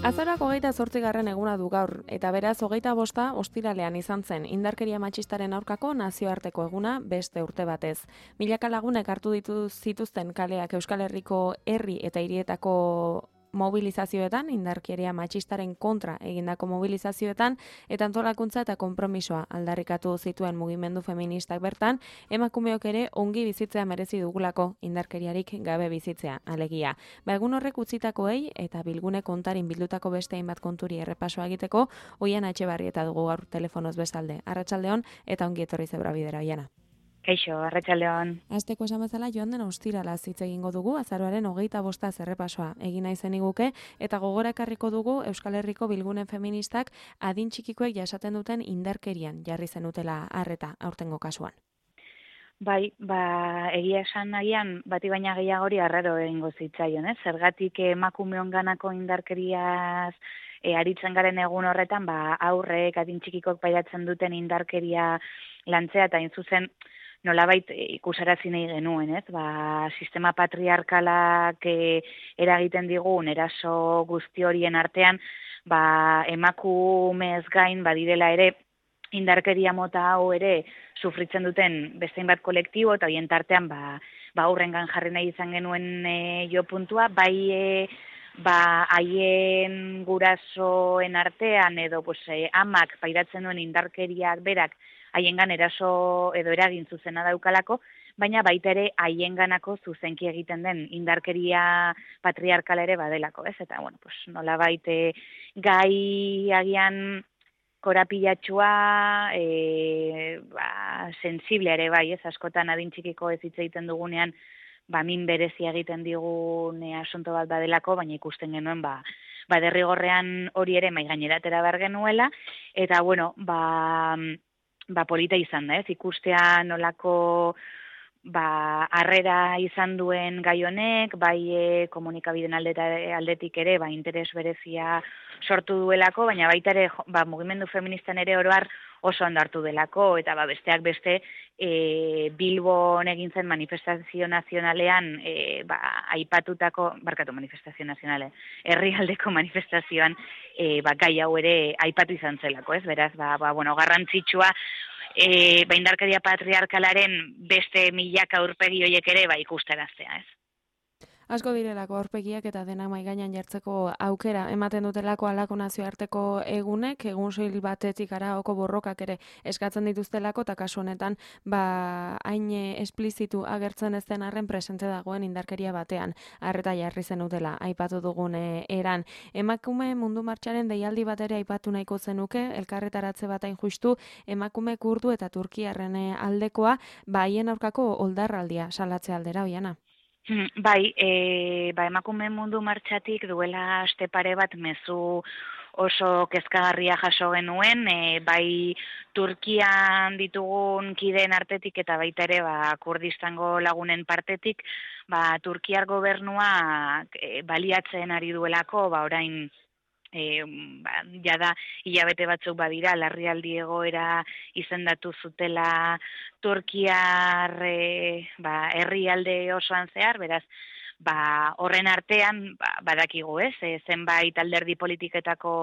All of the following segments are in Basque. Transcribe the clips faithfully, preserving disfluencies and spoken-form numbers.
Azaroak hogeita zortzigarren eguna du gaur, eta beraz hogeita bosta ostiralean izan zen indarkeria matxistaren aurkako nazioarteko eguna beste urte batez. Milaka lagunek hartu ditu zituzten kaleak Euskal Herriko herri eta hirietako mobilizazioetan, indarkeria matxistaren kontra egindako mobilizazioetan, eta antolakuntza eta konpromisoa aldarrikatu zituen mugimendu feministak bertan, emakumeok ere ongi bizitzea merezi dugulako indarkeriarik gabe bizitzea, alegia. Ba egun horrek utzitakoei eta bilgune kontarin bildutako beste hainbat konturi errepasoa egiteko, Oiana Etxebarrieta dugu gaur telefonoz bezalde. Arratsaldeon eta ongi etorri Zebra Bidera, Oiana. Kaixo, arratsaldeon. Asteko esan bezala joan den ostirala hitz egingo dugu, azaroaren hogeita bosta errepasoa egin nahi zeniguke, eta gogora ekarriko dugu Euskal Herriko bilgune feministak adin txikikoek jasaten duten indarkerian jarri zenutela harreta aurtengo kasuan. Bai, ba, egia esan nahian, bati baina gehiagori arraro egingo zitzaion, ez? Zergatik emakumeon ganako indarkeriaz e, aritzen garen egun horretan, ba, aurrek adin txikikok pairatzen duten indarkeria lantzea, eta hain zuzen, nolabait ikusarazi nahi genuen, ez? Ba, sistema patriarkalak e, eragiten digun eraso guzti horien artean, ba, emakumez gain badirela ere indarkeria mota hau ere sufritzen duten bestein bat kolektibo, eta horien tartean ba, ba aurrengan jarri nahi izan genuen e, jo puntua, bai e, ba haien gurasoen artean edo pues, e, amak pairatzen duen indarkeriak berak haiengan eraso edo eragin zuzena daukalako, baina baita ere haienganako zuzenki egiten den indarkeria patriarkala ere badelako, ez? Eta bueno, pues nolabait e, gai agian korapilatxua, e, ba, sensible ere bai, ez askotan adin txikiko ez hitz egiten dugunean, ba, min berezia egiten digun e, asunto bat badelako, baina ikusten genuen, ba, ba derrigorrean hori ere mai gaineratera behar genuela, eta bueno, ba, ba polita izan da, ez, ikustea nolako ba harrera izan duen gai honek, bai e, komunikabideen aldetik ere, ba interes berezia sortu duelako, baina baita ere ba, mugimendu feministan ere oroar oso ondo hartu delako, eta ba, besteak beste e, Bilbon egin zen manifestazio nazionalean e, ba, aipatutako, barkatu manifestazio nazionale, herrialdeko manifestazioan e, ba, gai hau ere aipatu izan zelako, ez? Beraz, ba, ba, bueno, garrantzitsua, E, ba, indarkeria patriarkalaren beste milaka aurpegi horiek ere ba, ikusteraztea, ez? Asko direlako aurpegiak eta dena mai gainean jartzeko aukera ematen dutelako halako nazioarteko egunek, egun soil batetik araoko borrokak ere eskatzen dituztelako, eta kasu honetan ba hain esplizitu agertzen ez den arren presente dagoen indarkeria batean harreta jarri zenutela aipatu dugun eran. Emakume mundu martxaren deialdi bat ere aipatu nahiko zenuke, elkarretaratze bat hain justu emakume kurdu eta turkiarren aldekoa, ba haien aurkako oldarraldia salatze aldera, Oiana. Bai, e, ba, emakume mundu martxatik duela aste pare bat mezu oso kezkagarria jaso genuen, e, bai Turkian ditugun kideen artetik eta baita ere ba, Kurdistango lagunen partetik, ba, Turkiar gobernua e, baliatzen ari duelako, ba, orain E, ba, jada hilabete batzuk badira larrialdi egoera izendatu zutela Turkiar e, ba, herrialde osoan zehar, beraz ba, horren artean ba, badakigu ez, e, zenbait alderdi politiketako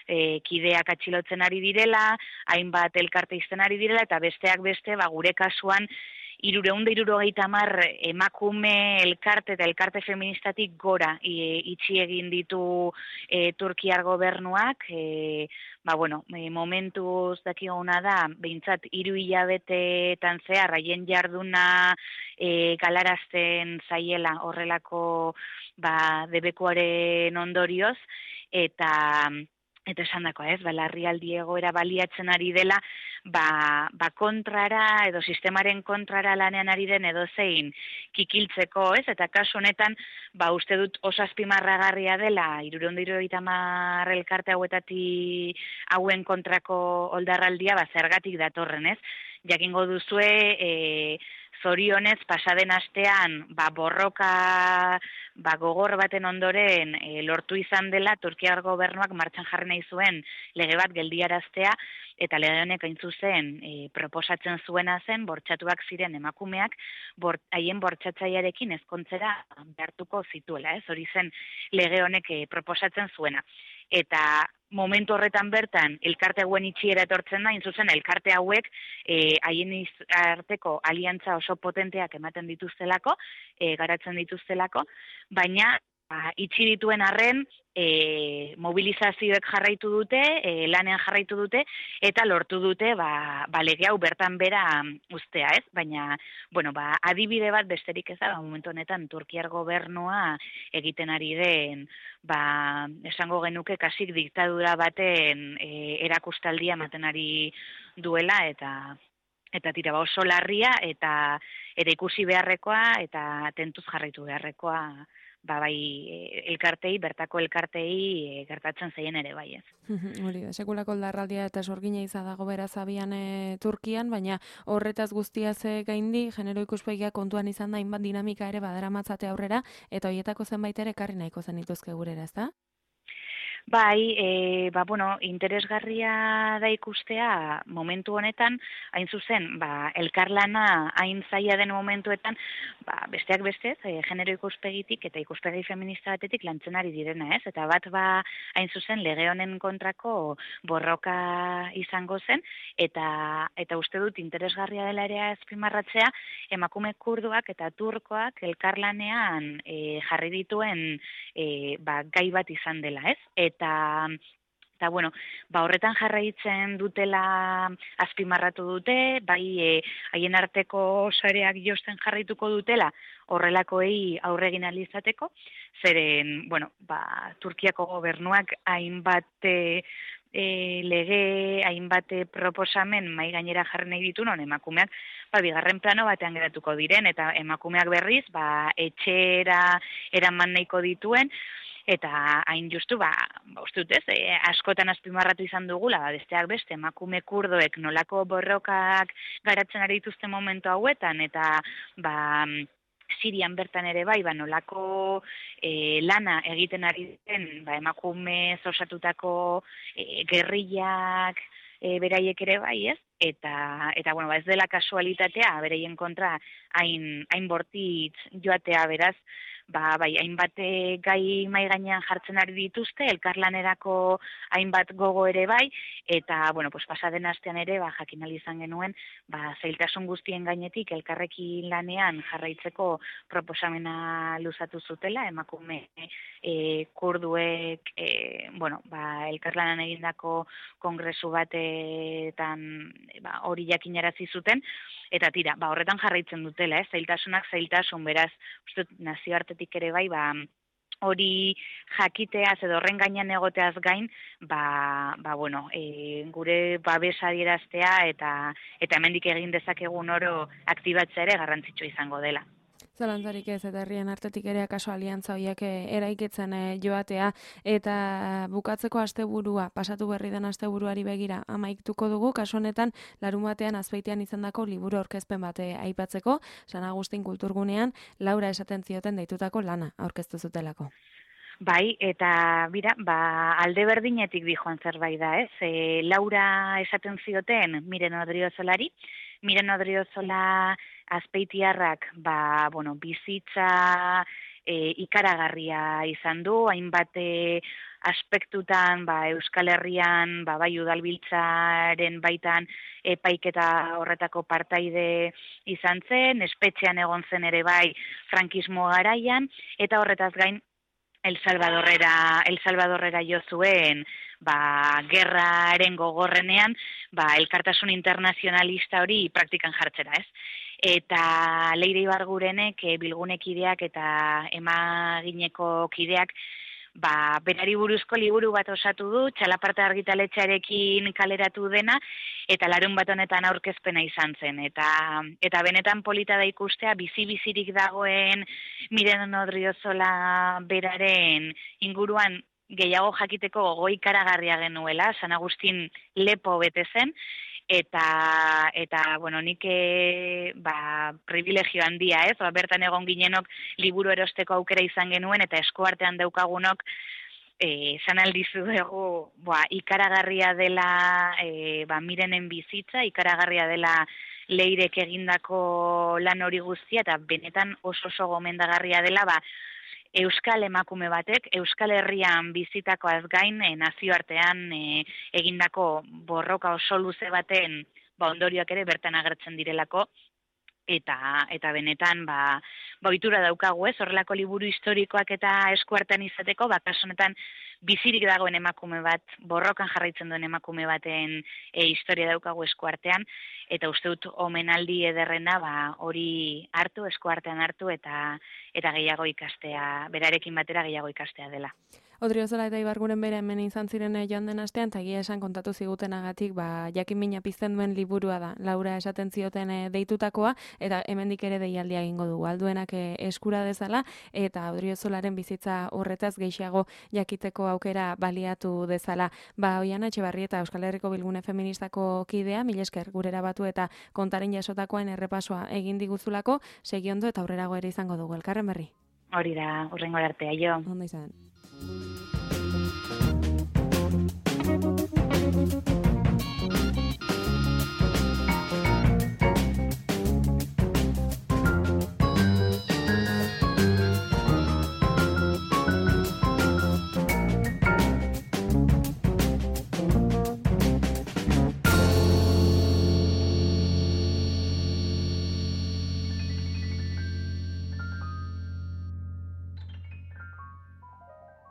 e, kideak atxilotzen ari direla, hainbat elkarte izten ari direla, eta besteak beste ba, gure kasuan Irureunda irurogeita hamar emakume elkarte eta elkarte feministatik gora e, itxi egin ditu e, Turkiar gobernuak, e, ba bueno, e, momentuz dakiguna da, behintzat hiru hilabetetan zehar haien jarduna e, galarazten zaiela horrelako ba, debekuaren ondorioz, eta eta esan dako, ez, ba, larrialdi egoera baliatzen ari dela, ba, ba kontrara edo sistemaren kontrara lanean ari den edo zein kikiltzeko, ez, eta kasu honetan, ba, uste dut oso azpimarragarria dela, hirureunda hirurogeita hamar elkarte hauetatik hauen kontrako oldarraldia, ba, zergatik datorren, ez, jakingo duzue, e, zorionez pasaden astean ba, borroka ba, gogor baten ondoren e, lortu izan dela Turkiar gobernuak martxan jarri nahi zuen lege bat geldiaraztea, eta lege honek hain zuzen e, proposatzen zuena zen bortxatuak ziren emakumeak bort, haien bortxatzailearekin ezkontzera behartuko zituela, ez? Hori zen lege honek e, proposatzen zuena. Eta momentu horretan bertan elkarte hauen itxiera etortzen da, hain zuzen elkarte hauek e, haien arteko aliantza oso potenteak ematen dituztelako, e, garatzen dituztelako, baina ba, itxi dituen arren e, mobilizazioek jarraitu dute, e, lanean jarraitu dute, eta lortu dute ba, ba lege hau bertan bera ustea, ez? Baina, bueno, ba, adibide bat besterik ez da, ba, momentu honetan Turkiar gobernua egiten ari den, ba, esango genuke kasik diktadura baten e, erakustaldia ematen ari duela, eta eta tira ba, oso larria, eta ere ikusi beharrekoa, eta tentuz jarraitu beharrekoa, ba, bai, elkartei, bertako elkartei e, gertatzen zeien ere bai ez. Hori da, sekulako larraldia eta sorgina iza dago beraz abian e, Turkian, baina horretaz guztiaz gaindi, genero ikuspegia kontuan izan da, hainbat dinamika ere badaramatzate aurrera, eta hoietako zenbait ere ekarri nahiko zenituzke gurera, ez da? Bai, e, ba, bueno, interesgarria da ikustea momentu honetan, hain zuzen, ba, elkarlana hain zaila den momentuetan, ba, besteak bestez, e, genero ikuspegitik eta ikuspegi feminista batetik lantzen ari direna, ez? Eta bat, ba, hain zuzen, lege honen kontrako borroka izango zen, eta eta uste dut interesgarria dela ere azpimarratzea, emakume kurduak eta turkoak elkarlanean e, jarri dituen e, ba, gai bat izan dela, ez? Eta, eta bueno, ba horretan jarraitzen dutela azpimarratu dute, bai e, haien arteko sareak josten jarraituko dutela horrelakoei aurre egin ahal izateko, zeren, bueno, ba, Turkiako gobernuak hainbat e, e, lege, hainbat proposamen mai gainera jarri nahi ditu, non emakumeak ba, bigarren plano batean geratuko diren, eta emakumeak berriz, ba, etxera eraman nahiko dituen, eta hain justu, ba, ba uste dut ez, e, askotan azpimarratu izan dugula, ba, besteak beste, emakume kurdoek nolako borrokak garatzen ari dituzten momentu hauetan, eta ba, Sirian bertan ere bai, ba, nolako e, lana egiten ari den, ba, emakume osatutako e, gerrillak, e, beraiek ere bai, ez? Eta, eta bueno, ba, ez dela kasualitatea, bereien kontra hain, hain bortitz joatea beraz, ba, bai, hainbat gai mai gainean jartzen ari dituzte, elkarlanerako hainbat gogo ere bai, eta, bueno, pues, pasaden astean ere, ba, jakin ahal izan genuen, ba, zailtasun guztien gainetik elkarrekin lanean jarraitzeko proposamena luzatu zutela, emakume e, kurduek, e, bueno, ba, elkarlanan egindako kongresu batetan ba, hori jakinarazi zuten, eta tira, ba, horretan jarraitzen dutela, eh? Zailtasunak zailtasun, beraz, uste nazioartetik ere bai, ba, hori jakiteaz edo horren gainean egoteaz gain, ba, ba bueno, e, gure babes adieraztea eta eta hemendik egin dezakegun oro aktibatzea ere garrantzitsua izango dela. Zalantzarik ez, eta herrien artetik ere akaso aliantza horiek eraikitzen joatea, eta bukatzeko asteburua, pasatu berri den asteburuari begira amaituko dugu, kasu honetan larun batean Azpeitian izandako liburu aurkezpen bate aipatzeko, San Agustin kulturgunean Laura esaten zioten deitutako lana aurkeztu zutelako. Bai, eta bira, ba, alde berdinetik dijoan zerbait da, ez? E, Laura esaten zioten Miren Odriozolari, Miren Odriozola Azpeitiarrak, ba, bueno, bizitza e, ikaragarria izan du, hainbat aspektutan, ba, Euskal Herrian, ba, bai udalbiltzaren baitan epaiketa horretako partaide izan zen, espetxean egon zen ere bai frankismo garaian, eta horretaz gain El Salvadorrera, El Salvadorrera jo zuen, ba, gerraren gogorrenean, ba, elkartasun internazionalista hori praktikan jartzera, ez? Eta Leire Ibargurenek, e, bilgunekideak eta emagineko kideak, ba, berari buruzko liburu bat osatu du, Txalaparta argitaletxearekin kaleratu dena, eta larun bat honetan aurkezpena izan zen. Eta, eta benetan polita da ikustea, bizi-bizirik dagoen Miren Odriozola beraren inguruan gehiago jakiteko goi karagarria genuela, San Agustin lepo bete zen, eta eta bueno, nik e, ba, privilegio handia, ez? Ba, bertan egon ginenok liburu erosteko aukera izan genuen eta eskuartean daukagunok eh esan aldizu dugu, ba, ikaragarria dela e, ba, Mirenen bizitza, ikaragarria dela Leirek egindako lan hori guztia eta benetan oso oso gomendagarria dela, ba, Euskal emakume batek, Euskal Herrian bizitakoaz gain, e, nazioartean e, egindako borroka oso luze baten ba, ondorioak ere bertan agertzen direlako, eta eta benetan ba ba ohitura daukagu, ez? Horrelako liburu historikoak eta eskuartean izateko, ba kasu honetan bizirik dagoen emakume bat, borrokan jarraitzen duen emakume baten e, historia daukagu eskuartean, eta uste dut omenaldi ederrena ba hori hartu, eskuartean hartu eta eta gehiago ikastea, berarekin batera gehiago ikastea dela. Odriozola eta Ibarguren bere hemen izan ziren joan den astean, eta egia esan kontatu zigutenagatik, ba, jakin mina pizten duen liburua da, Laura esaten zioten e, deitutakoa, eta hemendik ere deialdia egingo dugu, alduenak e, eskura dezala, eta Odriozolaren bizitza horretaz gehiago jakiteko aukera baliatu dezala. Ba, Oiana Etxebarrieta, Euskal Herriko Bilgune Feministako kidea, mil esker gurera batu eta kontaren jasotakoen errepasoa egin diguzulako, segiondo eta aurrerago ere izango dugu, elkarren berri. Hori da, hurrengo arte, aio. Ondo izan.